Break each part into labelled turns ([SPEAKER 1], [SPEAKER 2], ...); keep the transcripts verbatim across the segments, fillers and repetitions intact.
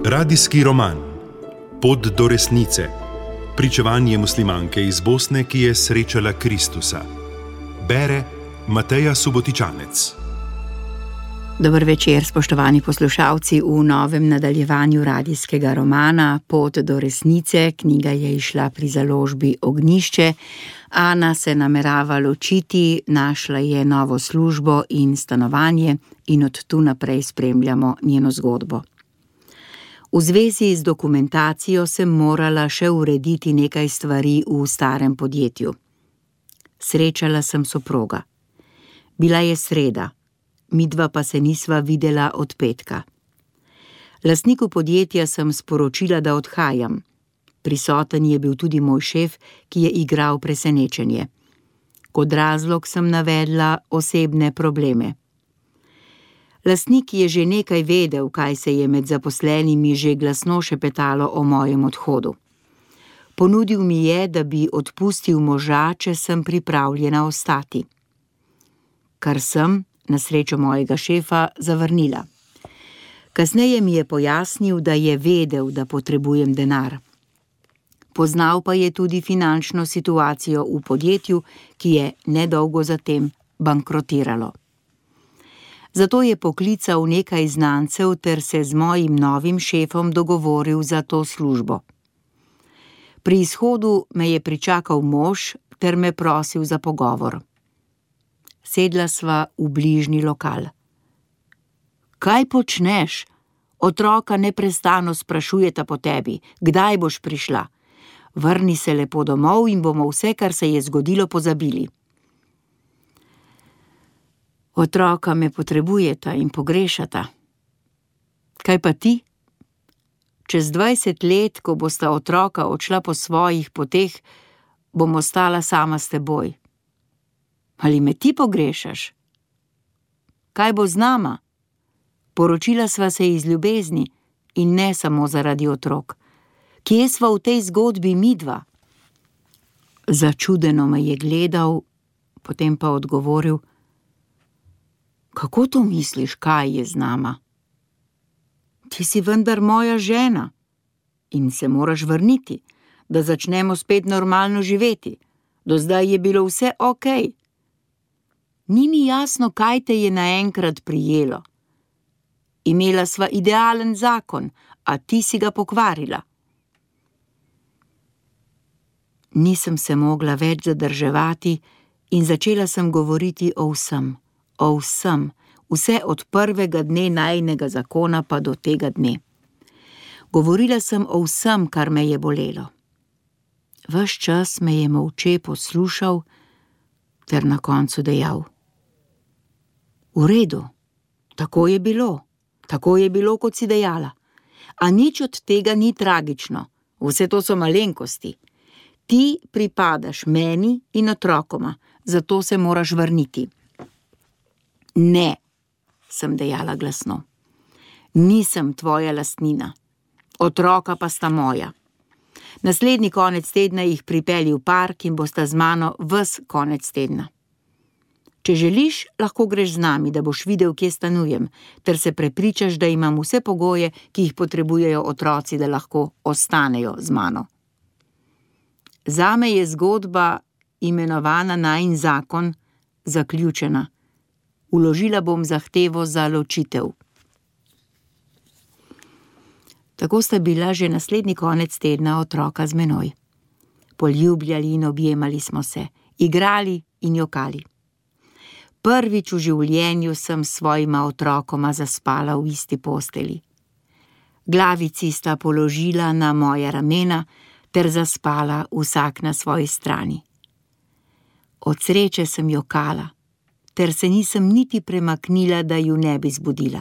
[SPEAKER 1] Radijski roman Pot do resnice. Pričevanje muslimanke iz Bosne, ki je srečala Kristusa. Bere Mateja Subotičanec.
[SPEAKER 2] Dober večer, spoštovani poslušalci, v novem nadaljevanju radijskega romana Pot do resnice. Knjiga je izšla pri založbi Ognjišče. Ana se namerava ločiti, našla je novo službo in stanovanje in od tu naprej spremljamo njeno zgodbo. V zvezi z dokumentacijo sem morala še urediti nekaj stvari v starem podjetju. Srečala sem soproga. Bila je sreda, midva pa se nisva videla od petka. Lastniku podjetja sem sporočila, da odhajam. Prisoten je bil tudi moj šef, ki je igral presenečenje. Kot razlog sem navedla osebne probleme. Lastnik je že nekaj vedel, kaj se je med zaposlenimi že glasno šepetalo o mojem odhodu. Ponudil mi je, da bi odpustil moža, če sem pripravljena ostati. Kar sem, na srečo mojega šefa, zavrnila. Kasneje mi je pojasnil, da je vedel, da potrebujem denar. Poznal pa je tudi finančno situacijo v podjetju, ki je nedolgo zatem bankrotiralo. Zato je poklical nekaj znancev ter se z mojim novim šefom dogovoril za to službo. Pri izhodu me je pričakal mož ter me prosil za pogovor. Sedla sva v bližnji lokal. Kaj počneš? Otroka neprestano sprašujeta po tebi, kdaj boš prišla. Vrni se lepo domov in bomo vse, kar se je zgodilo, pozabili. Otroka me potrebujeta in pogrešata. Kaj pa ti? Čez dvajset let, ko bosta otroka odšla po svojih poteh, bom ostala sama s teboj. Ali me ti pogrešaš? Kaj bo z nama? Poročila sva se iz ljubezni in ne samo zaradi otrok. Kje sva v tej zgodbi midva? Začudeno me je gledal, potem pa odgovoril: Kako to misliš, kaj je z nama? Ti si vendar moja žena in se moraš vrniti, da začnemo spet normalno živeti. Do zdaj je bilo vse okej. Ni mi jasno, kaj te je naenkrat prijelo. Imela sva idealen zakon, a ti si ga pokvarila. Nisem se mogla več zadrževati in začela sem govoriti o vsem. O vsem, vse od prvega dne najinega zakona pa do tega dne. Govorila sem o vsem, kar me je bolelo. Ves čas me je molče poslušal ter na koncu dejal: V redu, tako je bilo, tako je bilo, kot si dejala. A nič od tega ni tragično, vse to so malenkosti. Ti pripadaš meni in otrokoma, zato se moraš vrniti. Ne, sem dejala glasno. Nisem tvoja lastnina. Otroka pa sta moja. Naslednji konec tedna jih pripelji v park in bosta z mano ves konec tedna. Če želiš, lahko greš z nami, da boš videl, kje stanujem, ter se prepričaš, da imam vse pogoje, ki jih potrebujejo otroci, da lahko ostanejo z mano. Zame je zgodba, imenovana Najin zakon, zaključena. Vložila bom zahtevo za ločitev. Tako sta bila že naslednji konec tedna otroka z menoj. Poljubljali in objemali smo se, igrali in jokali. Prvič v življenju sem s svojima otrokoma zaspala v isti posteli. Glavici sta položila na moja ramena ter zaspala vsak na svoji strani. Od sreče sem jokala, ter se nisem niti premaknila, da ju ne bi zbudila.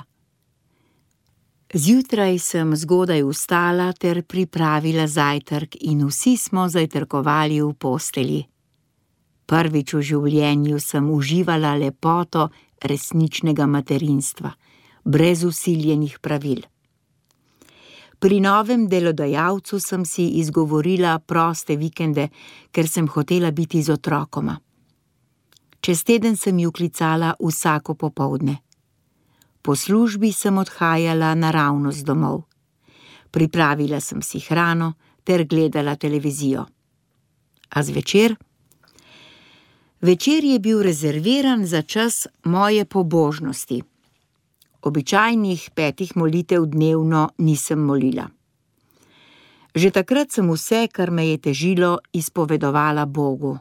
[SPEAKER 2] Zjutraj sem zgodaj vstala ter pripravila zajtrk in vsi smo zajtrkovali v postelji. Prvič v življenju sem uživala lepoto resničnega materinstva, brez vsiljenih pravil. Pri novem delodajalcu sem si izgovorila proste vikende, ker sem hotela biti z otrokoma. Čez teden sem ju klicala vsako popoldne. Po službi sem odhajala naravnost domov. Pripravila sem si hrano ter gledala televizijo. A zvečer? Večer je bil rezerviran za čas moje pobožnosti. Običajnih petih molitev dnevno nisem molila. Že takrat sem vse, kar me je težilo, izpovedovala Bogu.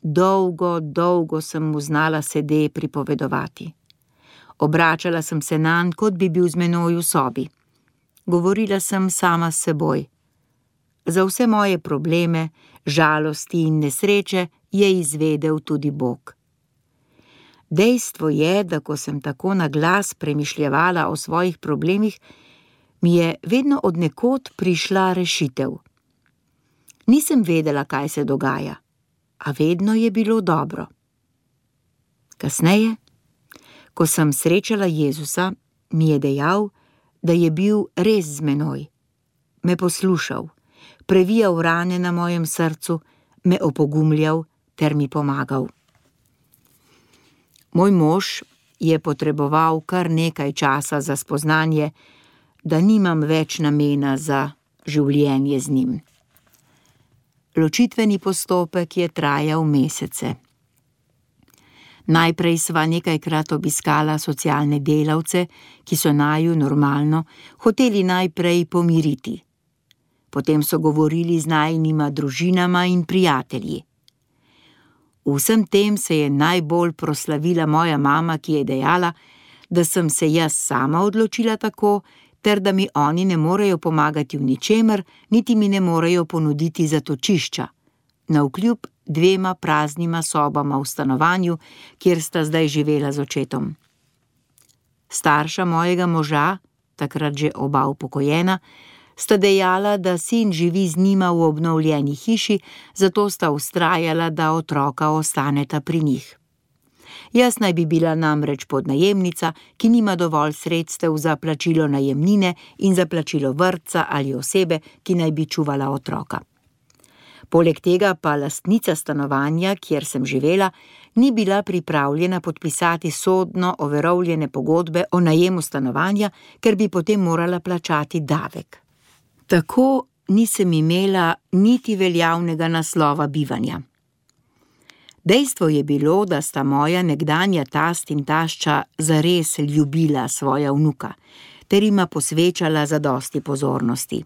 [SPEAKER 2] Dolgo, dolgo sem mu znala sede pripovedovati. Obračala sem se nanj, kot bi bil z menoj v sobi. Govorila sem sama s seboj. Za vse moje probleme, žalosti in nesreče je izvedel tudi Bog. Dejstvo je, da ko sem tako na glas premišljevala o svojih problemih, mi je vedno od nekod prišla rešitev. Nisem vedela, kaj se dogaja, a vedno je bilo dobro. Kasneje, ko sem srečala Jezusa, mi je dejal, da je bil res z menoj, me poslušal, previjal rane na mojem srcu, me opogumljal ter mi pomagal. Moj mož je potreboval kar nekaj časa za spoznanje, da nimam več namena za življenje z njim. Ločitveni postopek je trajal mesece. Najprej sva nekajkrat obiskala socialne delavce, ki so naju normalno hoteli najprej pomiriti. Potem so govorili z najinima družinama in prijatelji. V vsem tem se je najbolj proslavila moja mama, ki je dejala, da sem se jaz sama odločila tako, ter da mi oni ne morejo pomagati v ničemer, niti mi ne morejo ponuditi zatočišča, navkljub dvema praznima sobama v stanovanju, kjer sta zdaj živela z očetom. Starša mojega moža, takrat že oba upokojena, sta dejala, da sin živi z njima v obnovljeni hiši, zato sta vztrajala, da otroka ostaneta pri njih. Jaz naj bi bila namreč podnajemnica, ki nima dovolj sredstev za plačilo najemnine in za plačilo vrtca ali osebe, ki naj bi čuvala otroka. Poleg tega pa lastnica stanovanja, kjer sem živela, ni bila pripravljena podpisati sodno overovljene pogodbe o najemu stanovanja, ker bi potem morala plačati davek. Tako nisem imela niti veljavnega naslova bivanja. Dejstvo je bilo, da sta moja nekdanja tast in tašča zares ljubila svoja vnuka, ter ima posvečala zadosti pozornosti.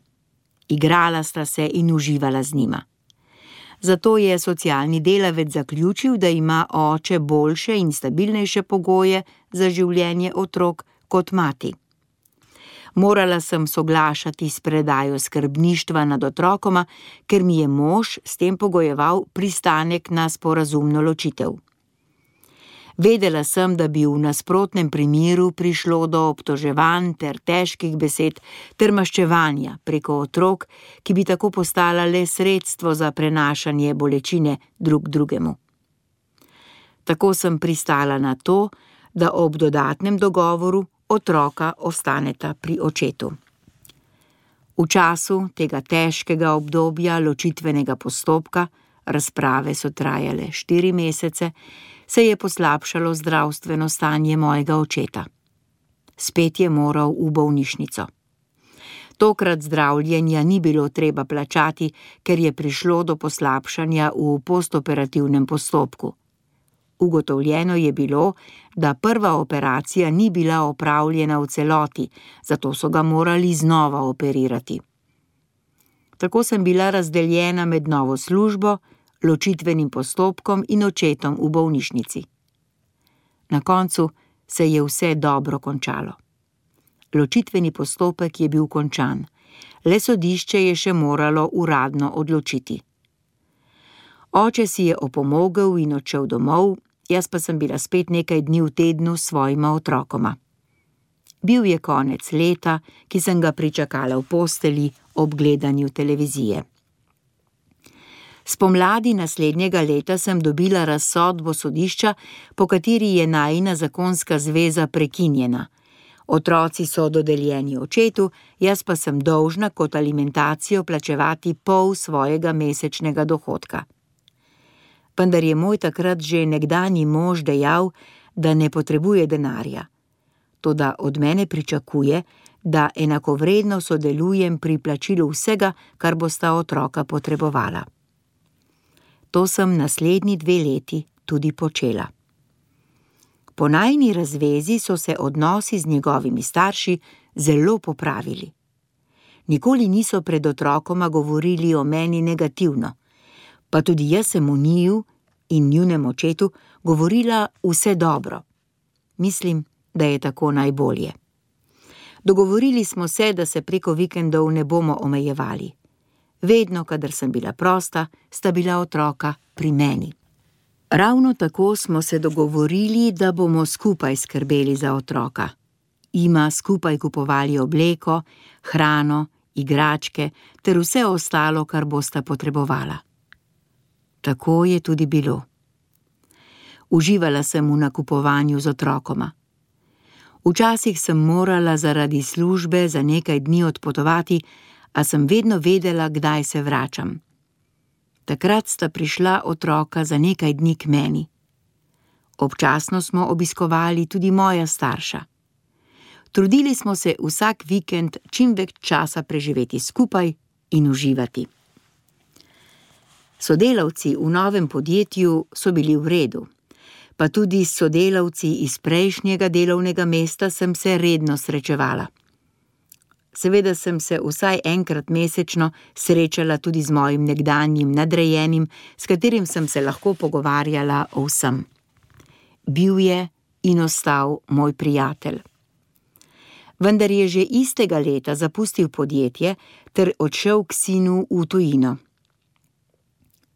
[SPEAKER 2] Igrala sta se in uživala z njima. Zato je socialni delavec zaključil, da ima oče boljše in stabilnejše pogoje za življenje otrok kot mati. Morala sem soglašati s predajo skrbništva nad otrokoma, ker mi je mož s tem pogojeval pristanek na sporazumno ločitev. Vedela sem, da bi v nasprotnem primeru prišlo do obtoževanj ter težkih besed ter maščevanja preko otrok, ki bi tako postala le sredstvo za prenašanje bolečine drug drugemu. Tako sem pristala na to, da ob dodatnem dogovoru otroka ostaneta pri očetu. V času tega težkega obdobja ločitvenega postopka, razprave so trajale štiri mesece, se je poslabšalo zdravstveno stanje mojega očeta. Spet je moral v bolnišnico. Tokrat zdravljenja ni bilo treba plačati, ker je prišlo do poslabšanja v postoperativnem postopku. Ugotovljeno je bilo, da prva operacija ni bila opravljena v celoti, zato so ga morali znova operirati. Tako sem bila razdeljena med novo službo, ločitvenim postopkom in očetom v bolnišnici. Na koncu se je vse dobro končalo. Ločitveni postopek je bil končan, le sodišče je še moralo uradno odločiti. Oče si je opomogel in odšel domov, jaz pa sem bila spet nekaj dni v tednu s svojima otrokoma. Bil je konec leta, ki sem ga pričakala v posteli ob gledanju televizije. Spomladi naslednjega leta sem dobila razsodbo sodišča, po kateri je najina zakonska zveza prekinjena. Otroci so dodeljeni očetu, jaz pa sem dolžna kot alimentacijo plačevati pol svojega mesečnega dohodka. Vendar je moj takrat že nekdanji mož dejal, da ne potrebuje denarja. Toda od mene pričakuje, da enakovredno sodelujem pri plačilu vsega, kar bosta otroka potrebovala. To sem naslednji dve leti tudi počela. Po najini razvezi so se odnosi z njegovimi starši zelo popravili. Nikoli niso pred otrokoma govorili o meni negativno, pa tudi jaz sem o njiju in njunem očetu govorila vse dobro. Mislim, da je tako najbolje. Dogovorili smo se, da se preko vikendov ne bomo omejevali. Vedno, kadar sem bila prosta, sta bila otroka pri meni. Ravno tako smo se dogovorili, da bomo skupaj skrbeli za otroka. Ima skupaj kupovali obleko, hrano, igračke ter vse ostalo, kar bosta potrebovala. Tako je tudi bilo. Uživala sem v nakupovanju z otrokoma. Včasih sem morala zaradi službe za nekaj dni odpotovati, a sem vedno vedela, kdaj se vračam. Takrat sta prišla otroka za nekaj dni k meni. Občasno smo obiskovali tudi moja starša. Trudili smo se vsak vikend čim več časa preživeti skupaj in uživati. Sodelavci v novem podjetju so bili v redu, pa tudi s sodelavci iz prejšnjega delovnega mesta sem se redno srečevala. Seveda sem se vsaj enkrat mesečno srečala tudi z mojim nekdanjim nadrejenim, s katerim sem se lahko pogovarjala o vsem. Bil je in ostal moj prijatelj. Vendar je že istega leta zapustil podjetje ter odšel k sinu v tujino.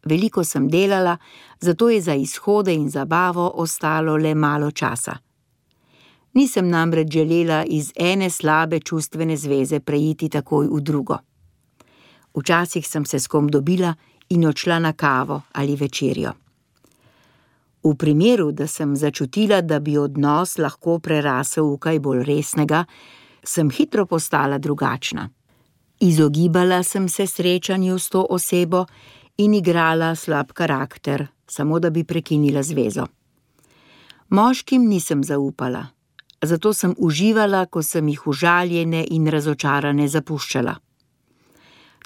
[SPEAKER 2] Veliko sem delala, zato je za izhode in zabavo ostalo le malo časa. Nisem namreč želela iz ene slabe čustvene zveze preiti takoj v drugo. Včasih sem se s kom dobila in odšla na kavo ali večerjo. V primeru, da sem začutila, da bi odnos lahko prerasel v kaj bolj resnega, sem hitro postala drugačna. Izogibala sem se srečanju s to osebo in igrala slab karakter, samo da bi prekinila zvezo. Moškim nisem zaupala, zato sem uživala, ko sem jih užaljene in razočarane zapuščala.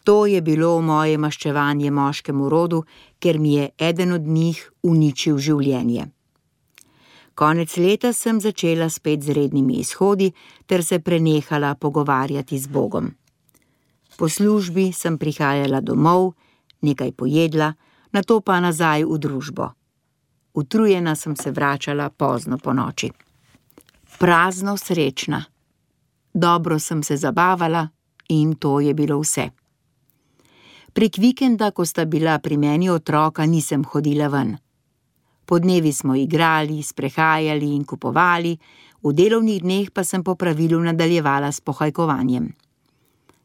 [SPEAKER 2] To je bilo moje maščevanje moškemu rodu, ker mi je eden od njih uničil življenje. Konec leta sem začela spet z rednimi izhodi ter se prenehala pogovarjati z Bogom. Po službi sem prihajala domov, nekaj pojedla, nato pa nazaj v družbo. Utrujena sem se vračala pozno ponoči. Prazno srečna. Dobro sem se zabavala in to je bilo vse. Prek vikenda, ko sta bila pri meni otroka, nisem hodila ven. Podnevi smo igrali, sprehajali in kupovali, v delovnih dneh pa sem po pravilu nadaljevala s pohajkovanjem.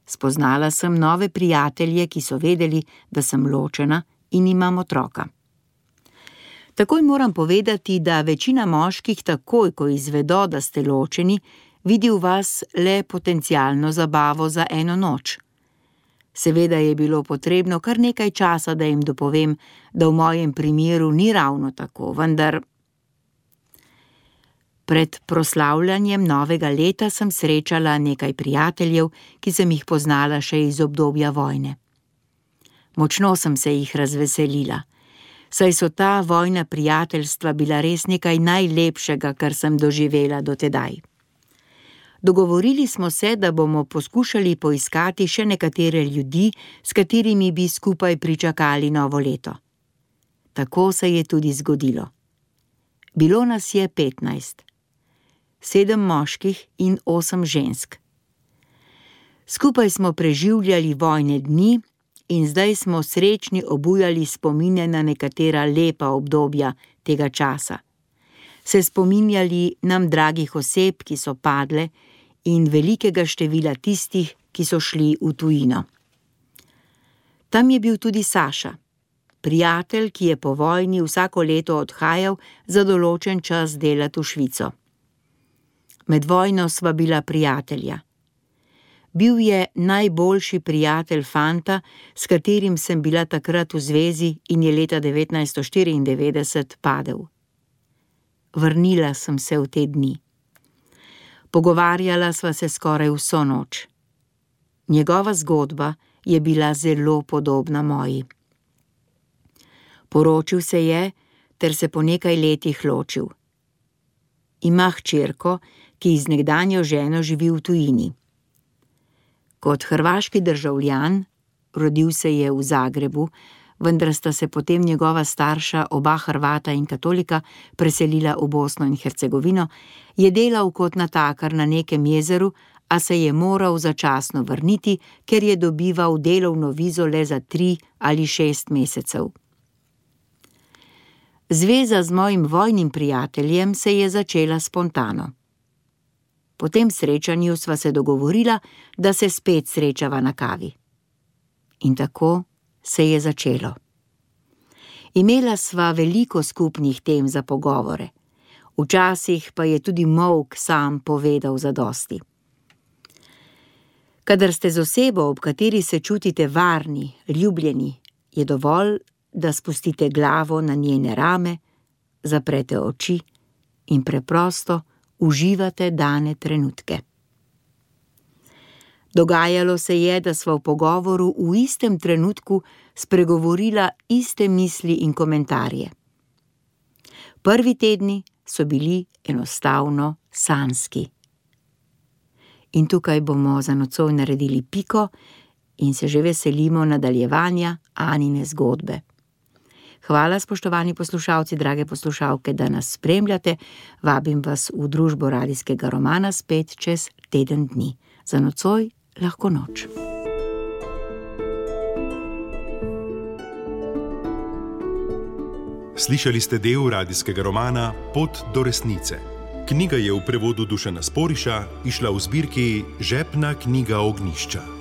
[SPEAKER 2] Spoznala sem nove prijatelje, ki so vedeli, da sem ločena in imam otroka. Takoj moram povedati, da večina moških takoj, ko izvedo, da ste ločeni, vidi v vas le potencialno zabavo za eno noč. Seveda je bilo potrebno kar nekaj časa, da jim dopovem, da v mojem primeru ni ravno tako, vendar... Pred proslavljanjem novega leta sem srečala nekaj prijateljev, ki sem jih poznala še iz obdobja vojne. Močno sem se jih razveselila, saj so ta vojna prijateljstva bila res nekaj najlepšega, kar sem doživela do tedaj. Dogovorili smo se, da bomo poskušali poiskati še nekatere ljudi, s katerimi bi skupaj pričakali novo leto. Tako se je tudi zgodilo. Bilo nas je petnajst. Sedem moških in osem žensk. Skupaj smo preživljali vojne dni in zdaj smo srečni obujali spomine na nekatera lepa obdobja tega časa. Se spominjali nam dragih oseb, ki so padle, in velikega števila tistih, ki so šli v tujino. Tam je bil tudi Saša, prijatelj, ki je po vojni vsako leto odhajal za določen čas delati v Švico. Med vojno sva bila prijatelja. Bil je najboljši prijatelj fanta, s katerim sem bila takrat v zvezi in je leta devetnajststo štiriindevetdeset padel. Vrnila sem se v te dni. Pogovarjala sva se skoraj vso noč. Njegova zgodba je bila zelo podobna moji. Poročil se je, ter se po nekaj letih ločil. Ima hčerko, ki z nekdanjo ženo živi v tujini. Kot hrvaški državljan, rodil se je v Zagrebu, vendar sta se potem njegova starša, oba Hrvata in katolika, preselila v Bosno in Hercegovino, je delal kot natakar na nekem jezeru, a se je moral začasno vrniti, ker je dobival delovno vizo le za tri ali šest mesecev. Zveza z mojim vojnim prijateljem se je začela spontano. Po tem srečanju sva se dogovorila, da se spet srečava na kavi. In tako se je začelo. Imela sva veliko skupnih tem za pogovore. Včasih pa je tudi molk sam povedal zadosti. Kadar ste z osebo, ob kateri se čutite varni, ljubljeni, je dovolj, da spustite glavo na njene rame, zaprete oči in preprosto uživate dane trenutke. Dogajalo se je, da sva v pogovoru v istem trenutku spregovorila iste misli in komentarje. Prvi tedni so bili enostavno sanjski. In tukaj bomo za nocoj naredili piko in se že veselimo nadaljevanja Anine zgodbe. Hvala, spoštovani poslušalci, drage poslušalke, da nas spremljate. Vabim vas v družbo radijskega romana spet čez teden dni. Za nocoj lahko noč.
[SPEAKER 1] Slišali ste del radijskega romana Pot do resnice. Knjiga je v prevodu Dušana Sporiša izšla v zbirki Žepna knjiga Ognjišča.